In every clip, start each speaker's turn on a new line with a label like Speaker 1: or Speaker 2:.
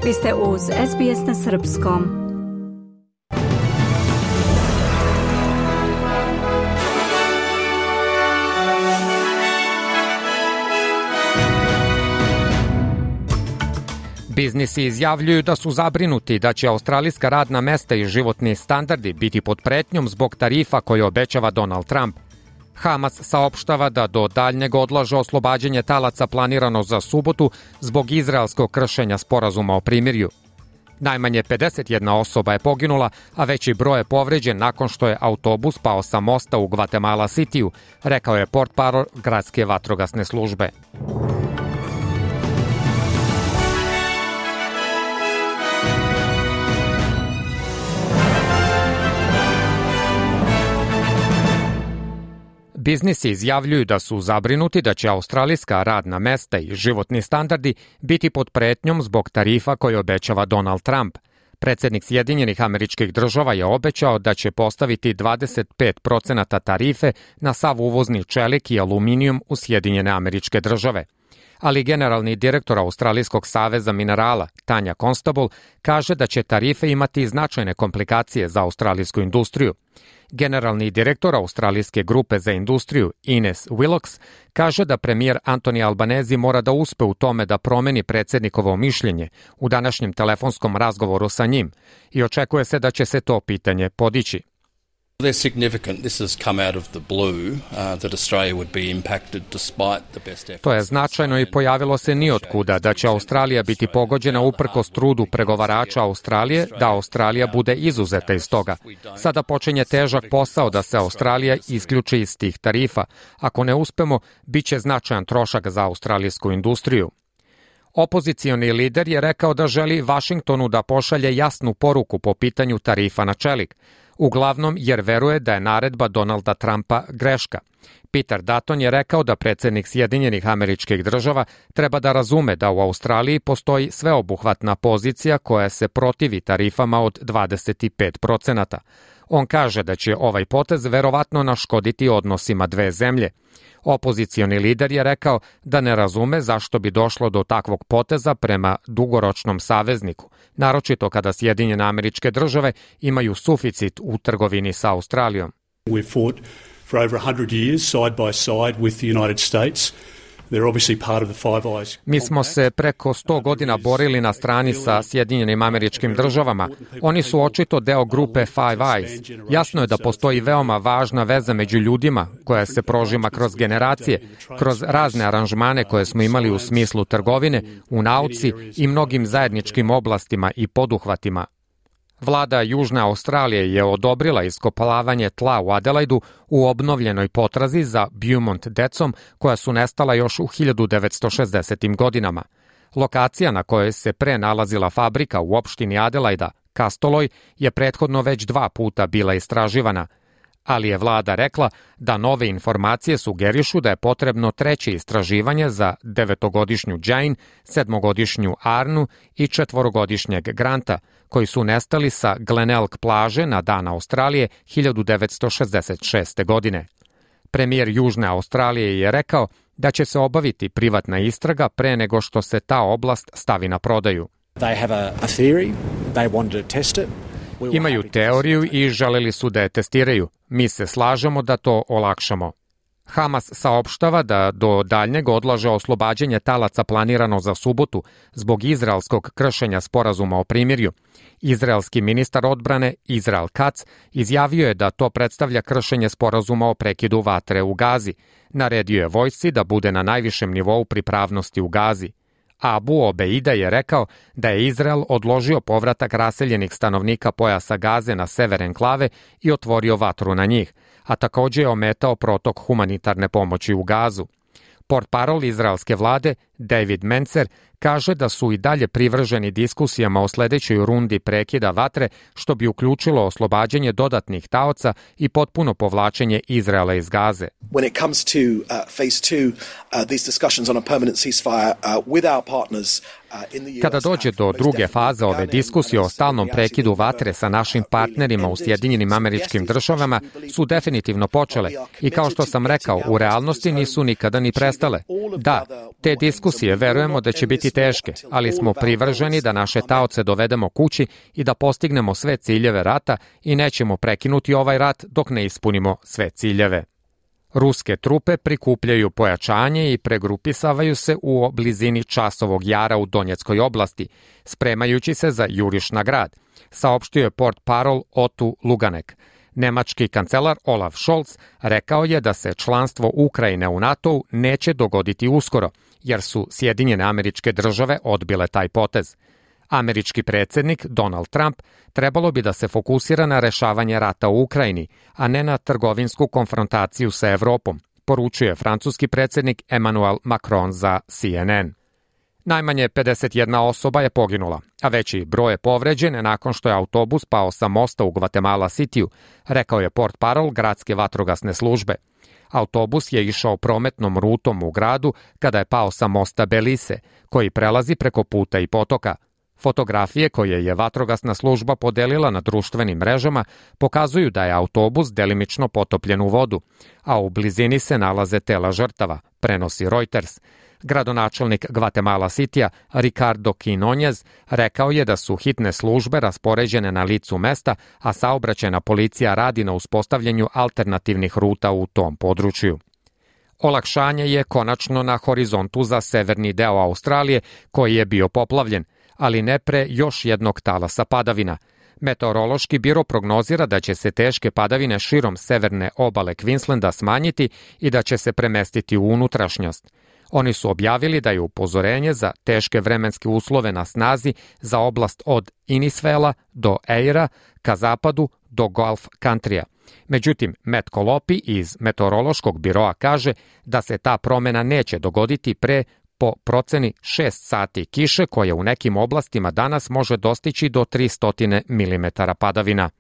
Speaker 1: Vi ste uz SBS na srpskom.
Speaker 2: Biznisi izjavljuju da su zabrinuti da će australijska radna mesta i životni standardi biti pod pretnjom zbog tarifa koje obećava Donald Trump. Hamas saopštava da do daljnjeg odlaže oslobađanje talaca planirano za subotu zbog izraelskog kršenja sporazuma o primirju. Najmanje 51 osoba je poginula, a veći broj je povređen nakon što je autobus pao sa mosta u Guatemala Cityu, rekao je portparol gradske vatrogasne službe. Biznisi izjavljuju da su zabrinuti da će australijska radna mesta i životni standardi biti pod pretnjom zbog tarifa koje obećava Donald Trump. Predsjednik Sjedinjenih Američkih Država je obećao da će postaviti 25% tarife na sav uvozni čelik i aluminijum u Sjedinjene Američke Države. Ali generalni direktor Australijskog saveza minerala, Tanja Constable, kaže da će tarife imati značajne komplikacije za australijsku industriju. Generalni direktor Australijske grupe za industriju, Ines Willox, kaže da premijer Anthony Albanese mora da uspe u tome da promeni predsjednikovo mišljenje u današnjem telefonskom razgovoru sa njim i očekuje se da će se to pitanje podići.
Speaker 3: They're significant. This has come out of the blue that Australia would be impacted despite the best efforts.
Speaker 2: To je značajno i pojavilo se nijotkuda da će Australija biti pogođena uprkos trudu pregovarača Australije da Australija bude izuzeta iz toga. Sada počinje težak posao da se Australija isključi iz tih tarifa. Ako ne uspemo, bit će značajan trošak za australijsku industriju. Opozicioni lider je rekao da želi Vašingtonu da pošalje jasnu poruku po pitanju tarifa na čelik. Uglavnom jer veruje da je naredba Donalda Trumpa greška. Peter Dutton je rekao da predsjednik Sjedinjenih Američkih Država treba da razume da u Australiji postoji sveobuhvatna pozicija koja se protivi tarifama od 25%. On kaže da će ovaj potez verovatno naškoditi odnosima dve zemlje. Opozicioni lider je rekao da ne razume zašto bi došlo do takvog poteza prema dugoročnom savezniku, naročito kada Sjedinjene Američke Države imaju suficit u trgovini sa Australijom.
Speaker 4: We've fought for over 100 years side by side with the United States.
Speaker 2: Mi smo se preko 100 godina borili na strani sa Sjedinjenim Američkim Državama. Oni su očito deo grupe Five Eyes. Jasno je da postoji veoma važna veza među ljudima koja se prožima kroz generacije, kroz razne aranžmane koje smo imali u smislu trgovine, u nauci i mnogim zajedničkim oblastima i poduhvatima. Vlada Južne Australije je odobrila iskopavanje tla u Adelaidu u obnovljenoj potrazi za Beaumont decom koja su nestala još u 1960. godinama. Lokacija na kojoj se pre nalazila fabrika u opštini Adelaida, Castoloj, je prethodno već 2 puta bila istraživana, ali je vlada rekla da nove informacije sugerišu da je potrebno treće istraživanje za 9-godišnju Jane, 7-godišnju Arnu i 4-godišnjeg Granta, koji su nestali sa Glenelg plaže na dan Australije 1966. godine. Premijer Južne Australije je rekao da će se obaviti privatna istraga pre nego što se ta oblast stavi na prodaju. Imaju teoriju i želeli su da je testiraju. Mi se slažemo da to olakšamo. Hamas saopštava da do daljnjeg odlaže oslobađanje talaca planirano za subotu zbog izraelskog kršenja sporazuma o primirju. Izraelski ministar odbrane Israel Katz izjavio je da to predstavlja kršenje sporazuma o prekidu vatre u Gazi. Naredio je vojsci da bude na najvišem nivou pripravnosti u Gazi. Abu Obeida je rekao da je Izrael odložio povratak raseljenih stanovnika pojasa Gaze na sever enklave i otvorio vatru na njih, a također je ometao protok humanitarne pomoći u Gazu. Portparol izraelske vlade David Mencer kaže da su i dalje privrženi diskusijama o sledećoj rundi prekida vatre, što bi uključilo oslobađanje dodatnih taoca i potpuno povlačenje Izraela iz Gaze.
Speaker 5: When it comes to phase 2, these discussions on a permanent ceasefire with our partners
Speaker 2: Kada dođe do druge faze ove diskusije o stalnom prekidu vatre sa našim partnerima u Sjedinjenim Američkim Državama su definitivno počele i kao što sam rekao, u realnosti nisu nikada ni prestale. Da, te diskusije diskusije verujemo da će biti teške, ali smo privrženi da naše taoce dovedemo kući i da postignemo sve ciljeve rata i nećemo prekinuti ovaj rat dok ne ispunimo sve ciljeve. Ruske trupe prikupljaju pojačanje i pregrupisavaju se u blizini Časovog jara u Donjeckoj oblasti, spremajući se za juriš na grad, saopštio je portparol Otu Luganek. Nemački kancelar Olaf Scholz rekao je da se članstvo Ukrajine u NATO-u neće dogoditi uskoro, jer su Sjedinjene Američke Države odbile taj potez. Američki predsjednik Donald Trump trebalo bi da se fokusira na rešavanje rata u Ukrajini, a ne na trgovinsku konfrontaciju sa Evropom, poručuje francuski predsjednik Emmanuel Macron za CNN. Najmanje 51 osoba je poginula, a veći broj je povređen nakon što je autobus pao sa mosta u Gvatemala Cityu, rekao je portparol gradske vatrogasne službe. Autobus je išao prometnom rutom u gradu kada je pao sa mosta Belize, koji prelazi preko puta i potoka. Fotografije koje je vatrogasna služba podelila na društvenim mrežama pokazuju da je autobus delimično potopljen u vodu, a u blizini se nalaze tela žrtava, prenosi Reuters. Gradonačelnik Gvatemala Citya Ricardo Quinoñez rekao je da su hitne službe raspoređene na licu mesta, a saobraćajna policija radi na uspostavljanju alternativnih ruta u tom području. Olakšanje je konačno na horizontu za severni deo Australije, koji je bio poplavljen, ali ne pre još jednog talasa padavina. Meteorološki biro prognozira da će se teške padavine širom severne obale Queenslanda smanjiti i da će se premestiti u unutrašnjost. Oni su objavili da je upozorenje za teške vremenske uslove na snazi za oblast od Innisfaila do Eira ka zapadu do Gulf Countrya. Međutim, Matt Colopi iz Meteorološkog biroa kaže da se ta promena neće dogoditi pre po proceni 6 sati kiše koja u nekim oblastima danas može dostići do 300 mm padavina.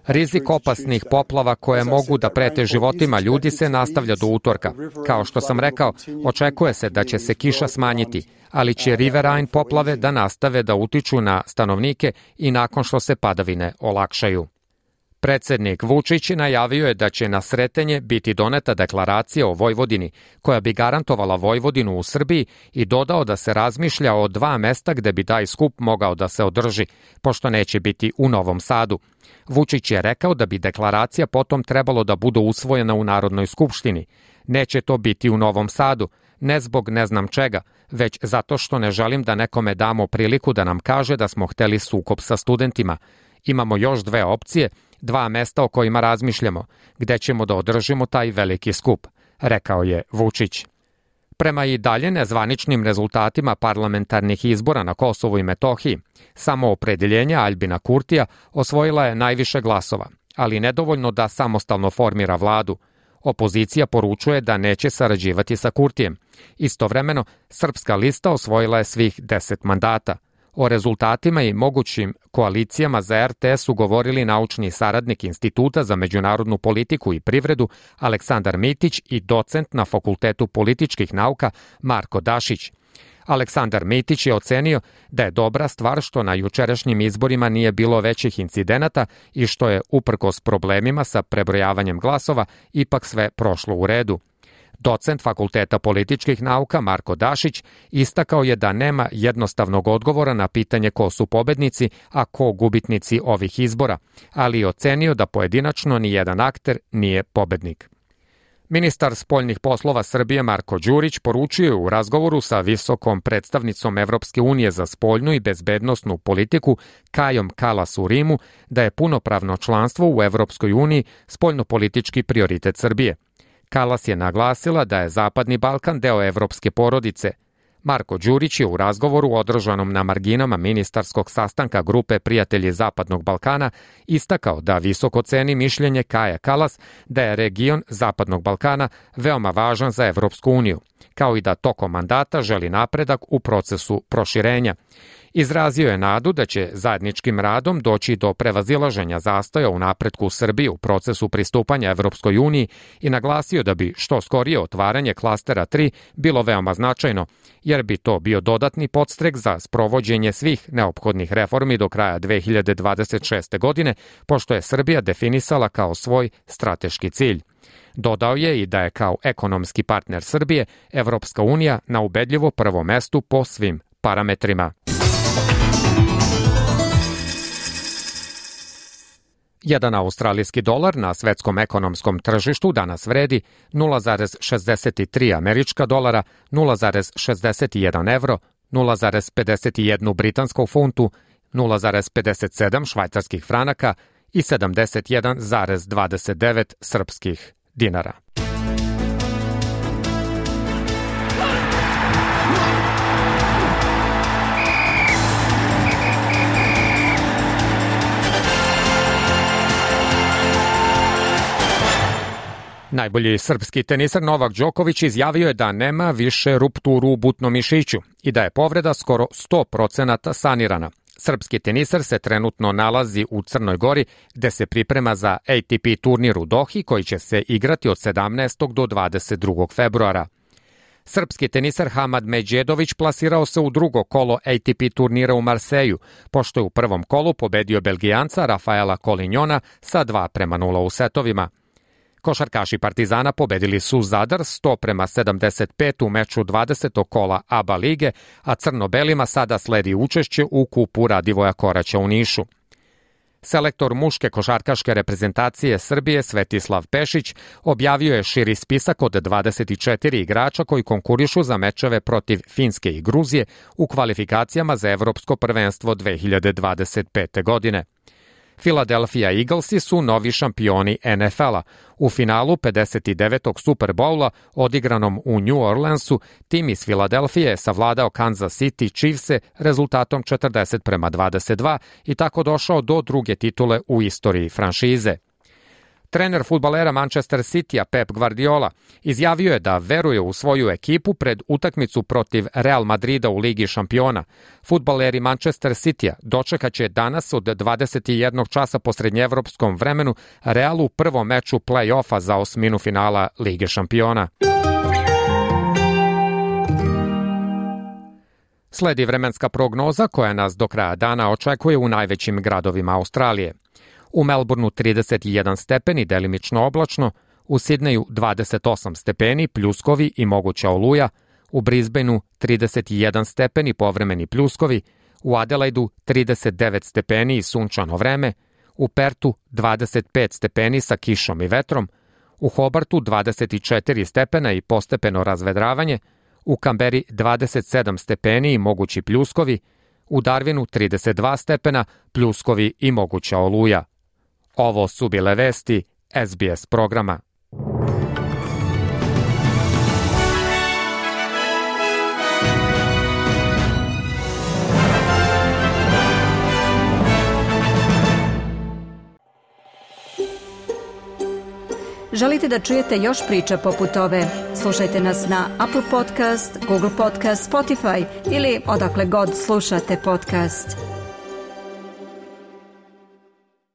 Speaker 2: Rizik opasnih poplava koje mogu da prete životima ljudi se nastavlja do utorka. Kao što sam rekao, očekuje se da će se kiša smanjiti, ali će riverine poplave da nastave da utiču na stanovnike i nakon što se padavine olakšaju. Predsjednik Vučić najavio je da će na Sretenje biti doneta deklaracija o Vojvodini, koja bi garantovala Vojvodinu u Srbiji i dodao da se razmišlja o 2 mesta gde bi taj skup mogao da se održi, pošto neće biti u Novom Sadu. Vučić je rekao da bi deklaracija potom trebalo da bude usvojena u Narodnoj skupštini. Neće to biti u Novom Sadu, ne zbog ne znam čega, već zato što ne želim da nekome damo priliku da nam kaže da smo hteli sukob sa studentima. Imamo još 2 opcije, 2 mesta o kojima razmišljamo, gde ćemo da održimo taj veliki skup, rekao je Vučić. Prema i dalje nezvaničnim rezultatima parlamentarnih izbora na Kosovu i Metohiji, samoopredeljenje Aljbina Kurtija osvojila je najviše glasova, ali nedovoljno da samostalno formira vladu. Opozicija poručuje da neće sarađivati sa Kurtijem. Istovremeno, Srpska lista osvojila je svih 10 mandata. O rezultatima i mogućim koalicijama za RTS su govorili naučni saradnik Instituta za međunarodnu politiku i privredu Aleksandar Mitić i docent na Fakultetu političkih nauka Marko Dašić. Aleksandar Mitić je ocenio da je dobra stvar što na jučerašnjim izborima nije bilo većih incidenata i što je, uprkos problemima sa prebrojavanjem glasova, ipak sve prošlo u redu. Docent Fakulteta političkih nauka Marko Dašić istakao je da nema jednostavnog odgovora na pitanje ko su pobednici, a ko gubitnici ovih izbora, ali je ocenio da pojedinačno ni jedan akter nije pobednik. Ministar spoljnih poslova Srbije Marko Đurić poručio je u razgovoru sa visokom predstavnicom Evropske unije za spoljnu i bezbednosnu politiku Kajom Kalas u Rimu da je punopravno članstvo u Evropskoj uniji spoljnopolitički prioritet Srbije. Kalas je naglasila da je Zapadni Balkan deo evropske porodice. Marko Đurić je u razgovoru održanom na marginama ministarskog sastanka grupe Prijatelji Zapadnog Balkana istakao da visoko ceni mišljenje Kaje Kalas da je region Zapadnog Balkana veoma važan za Evropsku uniju, kao i da tokom mandata želi napredak u procesu proširenja. Izrazio je nadu da će zajedničkim radom doći do prevazilaženja zastoja u napretku Srbije u procesu pristupanja Evropskoj uniji i naglasio da bi što skorije otvaranje klastera 3 bilo veoma značajno, jer bi to bio dodatni podstrek za sprovođenje svih neophodnih reformi do kraja 2026. godine, pošto je Srbija definisala kao svoj strateški cilj. Dodao je i da je kao ekonomski partner Srbije Evropska unija na ubedljivo prvom mestu po svim parametrima. Jedan australijski dolar na svetskom ekonomskom tržištu danas vredi 0,63 američka dolara, 0,61 evro, 0,51 britansku funtu, 0,57 švajcarskih franaka i 71,29 srpskih dinara. Najbolji srpski tenisar Novak Đoković izjavio je da nema više rupturu u butnom mišiću i da je povreda skoro 100% sanirana. Srpski tenisar se trenutno nalazi u Crnoj Gori, gde se priprema za ATP turnir u Dohi, koji će se igrati od 17. do 22. februara. Srpski tenisar Hamad Medjedović plasirao se u drugo kolo ATP turnira u Marseju, pošto je u prvom kolu pobedio Belgijanca Rafaela Kolinjona sa 2:0 u setovima. Košarkaši Partizana pobedili su Zadar 100:75 u meču 20. kola ABA lige, a crno-belima sada sledi učešće u kupu Radivoja Koraća u Nišu. Selektor muške košarkaške reprezentacije Srbije Svetislav Pešić objavio je širi spisak od 24 igrača koji konkurišu za mečeve protiv Finske i Gruzije u kvalifikacijama za Evropsko prvenstvo 2025. godine. Philadelphia Eaglesi su novi šampioni NFL-a. U finalu 59. Super Bowla, odigranom u New Orleansu, tim iz Filadelfije je savladao Kansas City Chiefse rezultatom 40:22 i tako došao do druge titule u istoriji franšize. Trener fudbalera Manchester City-a Pep Guardiola izjavio je da veruje u svoju ekipu pred utakmicu protiv Real Madrida u Ligi šampiona. Fudbaleri Manchester City-a dočekaće danas od 21 časa po srednjeevropskom vremenu Realu u prvom meču play-offa za osminu finala Lige šampiona. Sledi vremenska prognoza koja nas do kraja dana očekuje u najvećim gradovima Australije. U Melbourneu 31 stepeni, delimično oblačno, u Sidneju 28 stepeni, pljuskovi i moguća oluja, u Brisbaneu 31 stepeni, povremeni pljuskovi, u Adelaidu 39 stepeni i sunčano vreme, u Pertu 25 stepeni sa kišom i vetrom, u Hobartu 24 stepena i postepeno razvedravanje, u Kamberi 27 stepeni i mogući pljuskovi, u Darwinu 32 stepena, pljuskovi i moguća oluja. Ovo su bile vesti SBS programa.
Speaker 1: Želite da čujete još priča poput ove? Slušajte nas na Apple Podcast, Google Podcast, Spotify ili odakle god slušate podcast.